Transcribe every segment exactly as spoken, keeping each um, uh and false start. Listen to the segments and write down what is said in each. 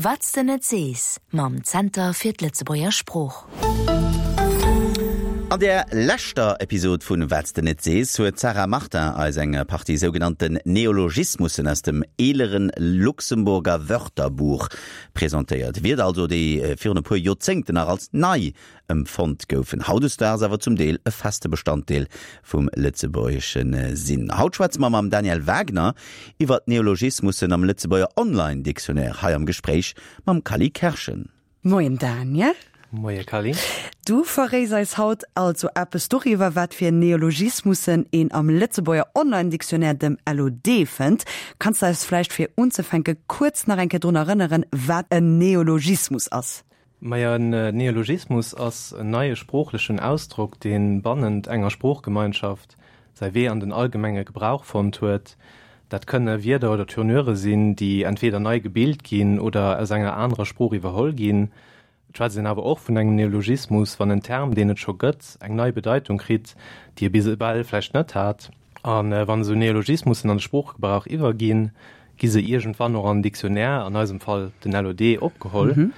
Wat s de net sees mam Zenter fir d'Lëtzebuerger Sprooch. An der leschter Episod vun Wat s de net sees huet d'Sarah Martin eis eng Partie sougenannten Neologismussen aus dem eeleren Luxemburger Wörterbuch presentéiert. Wierder also, déi virun e puer Joerzéngten nach als nei empfonnt goufen, hautdesdaags awer zum Deel e feste Bestanddeel vum Lëtzebuergesche sinn. Haut schwätze mer mam Daniel Wagner iwwer d'Neologismussen am Lëtzebuerger Online-Dictionnaire, hei am Gespréich mam Kally Kerschen. Moien Daniel. Moie Kally. Du verréis eis haut also eppes doriwwer, wat fir Neologismussen een am Lëtzebuerger Online-Dictionnaire, dem LOD, fënnt. Kanns de eis vläicht fir unzefänke kuerz nach eng Kéier drun erënneren, wat en Neologismus ass? Majo, en Neologismus ass en neie sproochlechen Ausdrock, dee bannent enger Sproochgemeinschaft säi Wee an den allgemenge Gebrauch fonnt huet. Dat kënne Wierder oder Tournure sinn, déi entweeder nei gebilt ginn oder aus enger anerer Sprooch iwwerholl ginn. Et schwätzt een awer och vun engem Neologismus, wann en Term, deen et scho gëtt, eng nei Bedeitung kritt, déi e bis ewell vläicht net hat. A wann esou Neologismussen an de Sproochgebrauch iwwerginn, gi se iergendwann och an den Dictionnaire, an eisem Fall den LOD, opgeholl.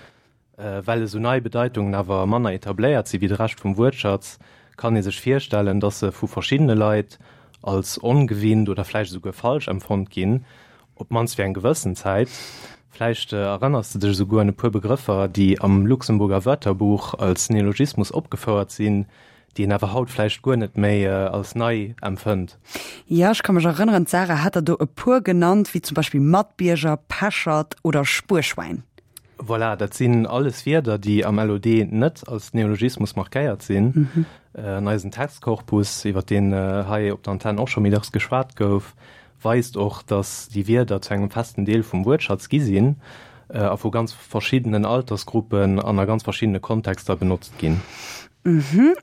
Well esou nei Bedeitungen awer manner etabléiert si wéi de Rescht vum Wuertschatz, kann ee sech virstellen, datt se vu verschiddene Leit als ongewinnt oder vläicht esouguer falsch empfonnt ginn, op d'mannst fir eng gewëssen Zäit. Vläicht erënners de dech esouguer un e puer Begrëffer, déi am Luxemburger Wörterbuch als Neologismus opgefouert sinn, déi een awer haut vläicht guer net méi als nei empfënnt. Jo, ech ka mech erënneren, d'Sarah hat der do e puer genannt, wéi zum Beispill Matbierger, Pechert oder Spuerschwäin. Voilà, dat sinn alles Wierder, déi am LOD net als Neologismus markéiert sinn. An eisen Textkorpus, iwwer deen hei op der Antenn och scho méi dacks geschwat gouf, weist och, datt déi Wierder zu engem festen Deel vum Wuertschatz gi sinn a vu ganz verschiddenen Altersgruppen an a ganz verschiddene Kontexter benotzt ginn.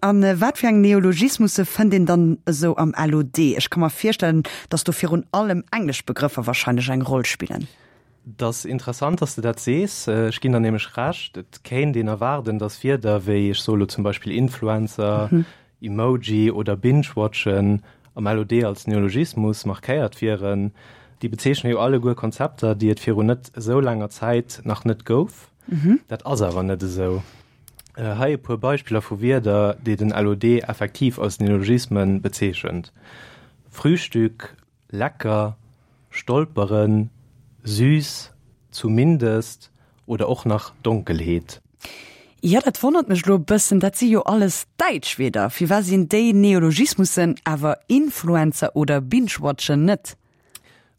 A wat fir eng Neologismusse fënnt een dann esou am LOD? Ech ka mer virstellen, datt do virun allem englesch Begrëffer warscheinlech eng Roll spillen. Et ass interessant, dass de dat sees. Ech ginn der nämlech Recht. Et kéint een erwaarden, dass Wierder wéi, ech soe lo zum Beispill Influencer, Emoji oder Binge-watchen am LOD als Neologismus markéiert wieren. Déi bezeechne jo alleguer Konzepter, déi et virun net esou laanger Zäit nach net gouf. Dat ass awer net esou. Hei e puer Beispiller vu Wierder, déi den LOD effektiv als Neologisme bezeechent, Frühstück, lecker, Stolperen, süß, zumindest oder och nach Donkelheet. Jo, dat wonnert mech elo e bëssen, dat si jo alles däitsch Wierder. Firwat sinn déi Neologismussen, awer Influencer oder Binge-watchen net?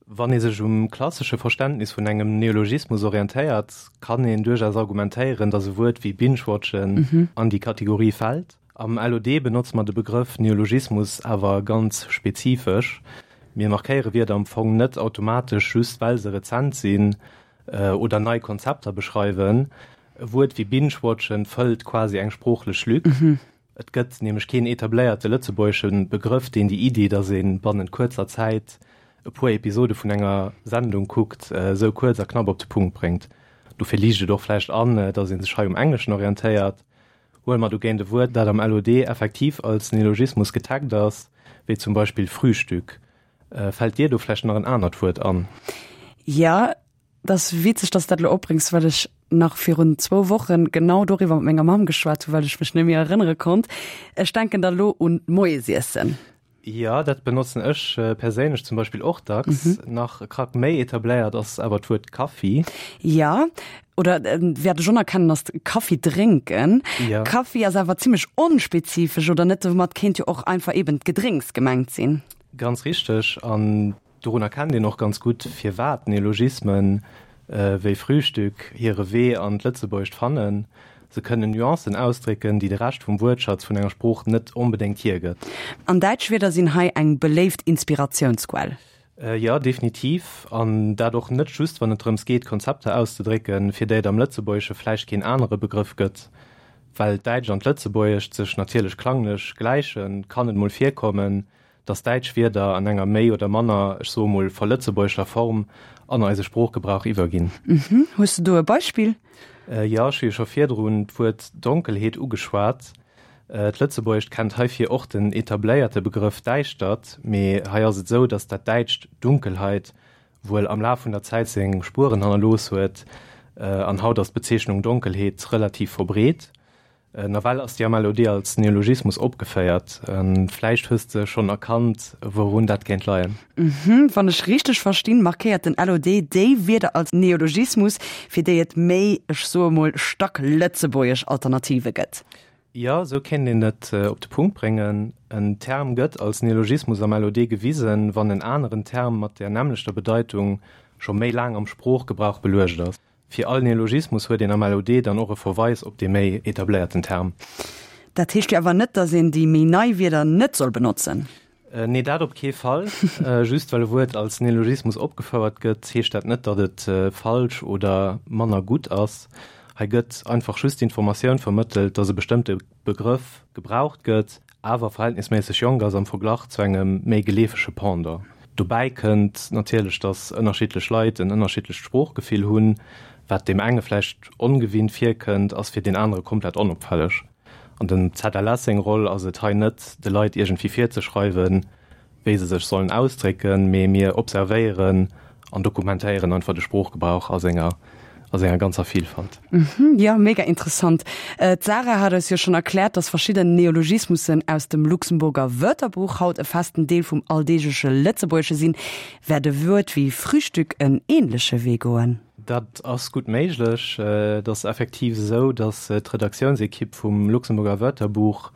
Wann ee sech um klassesche Verständnis vun engem Neologismus orientéiert, kann een duerchaus argumentéieren, datt e Wuert wéi Binge-watchen an déi Kategorie fält. Am LOD benotze mer de Begrëff Neologismus awer ganz spezifesch. Mir markéiere Wierder am Fong net automatesch just well se rezent sinn oder nei Konzepter beschreiwen. E Wuert wéi binge-watchen fëllt quasi eng sproochlech Lück. Et gëtt nämlech keen etabléierte lëtzebuergesche Begrëff, deen déi Iddi, datt ee bannent kuerzer Zäit e puer Episode vun enger Sendung kuckt, esou kuerz a knapp op de Punkt bréngt. Dofir liicht et och vläicht an, datt ee sech hei um Engleschen orientéiert. Huele mer dogéint e Wuert, dat am LOD effektiv als Neologismus getaggt ass, wéi zum Beispill Frühstück. Fält dir do vläicht nach en anert Wuert an? Jo, et ass witzeg, dass de dat elo opbréngs, well ech nach virun zwou Wochen genau doriwwer mat menger Mamm geschwat hunn, well ech mech net méi erënnere konnt. Ech denken da lo un d'Moiesiessen. Jo, dat benotzen ech perséinlech zum Beispill och dacks. Nach e Krack méi etabléiert ass awer d'Wuert Kaffi. Jo, oder wat ech och nach kennen ass Kaffi drénken. Kaffi ass awer zimmlech onspezifesch, oder net? Domat kéint jo och einfach eben d'Gedrénks gemengt sinn. Ganz richteg. An dorun erkennt een och ganz gutt, firwat Neologismen wéi Frühstück hire Wee an d'Lëtzebuergescht fannen. Se kënnen Nuancen ausdrécken, déi de Rescht vum Wuertschatz vun enger Sprooch net onbedéngt hiergëtt. An däitsch Wierder sinn hei eng beléift Inspiratiounsquell. Jo, definitiv. An dat och net just, wann et drëms geet, Konzepter auszedrécken, fir déi et am Lëtzebuergesche vläicht keen anere Begrëff gëtt. Well d'Däitscht an d'Lëtzebuergescht sech natierlech klanglech gläichen, kann et mol virkommen, dass däitsch Wierder an enger méi oder manner, ech soe mol, verlëtzebuergeschter Form an eise Sproochgebrauch iwwerginn. Mhm. Hues de do e Beispill? Jo, ech hu jo scho virdrun d'Wuert Donkelheet ugeschwat. D'Lëtzebuergescht kennt heifir och den etabléierte Begrëff Däischtert, mee hei ass et esou, dass dat däitscht Dunkelheit wuel am Laf vun der Zäit seng Spueren hannerlooss huet, An haut ass d'Bezeechnung Donkelheet relativ verbreet. Nawell ass déi am LOD als Neologismus opgeféiert. Vläicht hues de schonn erkannt, wourun dat kéint leien. Mhm, wann ech richteg verstinn, markéiert den LOD déi Wierder als Neologismus, fir déi et méi, ech soe mol, stacklëtzebuergesch Alternative gëtt. Jo, esou kéint een et op de Punkt bréngen. En Term gëtt als Neologismus am LOD gewisen, wann en aneren Term mat där nämmlechter Bedeitung scho méi laang am Sproochgebrauch beluecht ass. Fir all Neologismus huet een am LOD dann och e Verweis op dee méi etabléierten Term. Dat heescht jo awer net, datt een déi méi nei Wierder net soll benotzen. Nee, dat op kee Fall. Just well e Wuert als Neologismus opgefouert gëtt, heescht dat net, datt et falsch oder manner gutt ass. Hei gëtt einfach just d'Informatioun vermëttelt, datt e bestëmmte Begrëff gebraucht gëtt, awer verhältnisméisseg jonk ass am Verglach zu engem méi geleefege Pendant. Dobäi kënnt natierlech, datt ënnerschiddlech Leit en ënnerschiddlecht Sproochgefill hunn. Wat deem enge vläicht ongewinnt virkënnt, ass fir deen anere komplett onopfälleg. An dem ZLS seng Roll ass et hei net, de Leit iergendwéi virzeschreiwen, wéi se sech sollen ausdrécken, mee mir observéieren an dokumentéieren einfach de Sproochgebrauch a senger a senger ganzer Vielfalt. Mhm, jo, mega interessant. D'Sarah hat eis jo schonn erkläert, dass verschidden Neologismussen aus dem Luxemburger Wörterbuch haut e festen Deel vum alldeegleche Lëtzebuergesche sinn. Wäert e Wuert wéi Frühstück en änleche Wee goen? Dat ass gutt méiglech. Et ass effektiv esou, dass d'Redaktiounsekipp vum Luxemburger Wörterbuch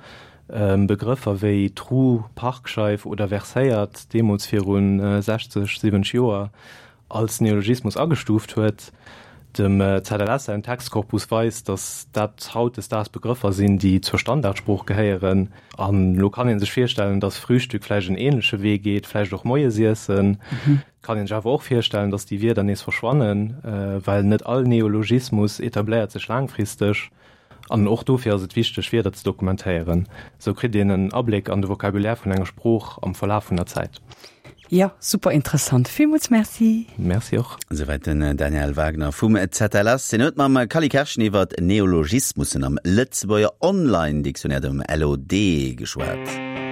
Begrëffer wéi Trou, Parkscheif oder verséiert deemools viru sechzeg, siwwenzeg Joer als Neologismus agestuuft huet. Dem ZLS säin Textkorpus weist, datt dat hautdesdaags Begrëffer sinn, déi zur Standardsprooch gehéieren. An elo kann ee sech virstellen, datt Frühstück vläicht en änleche Wee geet, vläicht och Moiesiessen. Et kann ee sech awer och virstellen, datt déi Wierder nees verschwannen, well net all Neologismus etabléiert sech laangfristeg. An och dofir ass et wichteg, Wierder ze dokumentéieren. Esou kritt een en Abléck an de Vocabulaire vun enger Sprooch am Verlaf vun der Zäit. Jo, super interessant. Villmools Merci. Merci och. Esouwäit den Daniel Wagner vum ZLS. Hien huet mam Cally Kerschen iwwer Neologismussen am Lëtzebuerger Online-Dictionnaire, dem LOD, geschwat.